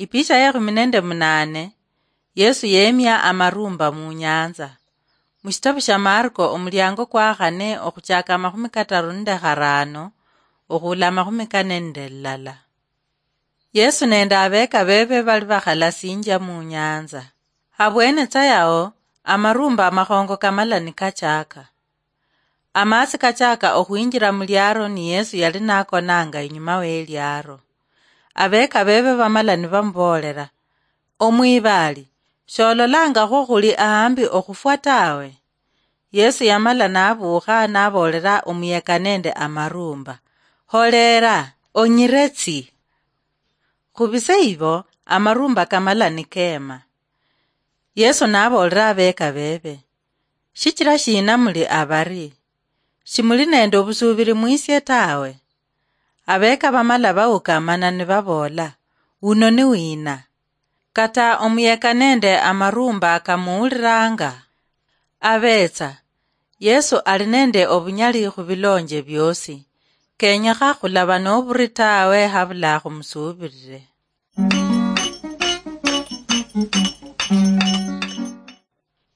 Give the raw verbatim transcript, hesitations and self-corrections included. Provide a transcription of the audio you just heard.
Ipicha ya ekhumi nende munane. Yesu yemia amarumba mu nyanza. Mushitabu sha Marko, omuliango kwa khane, okhuchaka amakhumi kataru nende kharano okhula amakhumi kane nende lilala. Yesu nende abeka bebe bali bakhalasinjia mu nyanza. Habwene tsa yao, amarumba amakhongo kamala nikachaka. Amaatsi kachaka okhwinjira mu liaro, ni Yesu yali nakonanga inyuma we liaro. Abeka bebe bamala nibamuboolera, "Omwibaali, shololanga khwo khuli ahambi okhufwa tawe?" Yesu yamala nabuukha, naboolera omuyeka nende amarumba, "Holera, onyiretsi." Khubise ibo, amarumba kamala nikema. Yesu naboolera abeka bebe, "Shichira shina muli abari? Shimuli nende obusuubiri mwisie tawe?" Abeka bamala baukamana nibaboola, "Uno ni wina? Kata omuyeka nende amarumba kamuwuliranga." Abetsa, Yesu ali nende obunyali khubilonje biosi. Kenyekha khulaba noburi tawe habula khumusuubirire.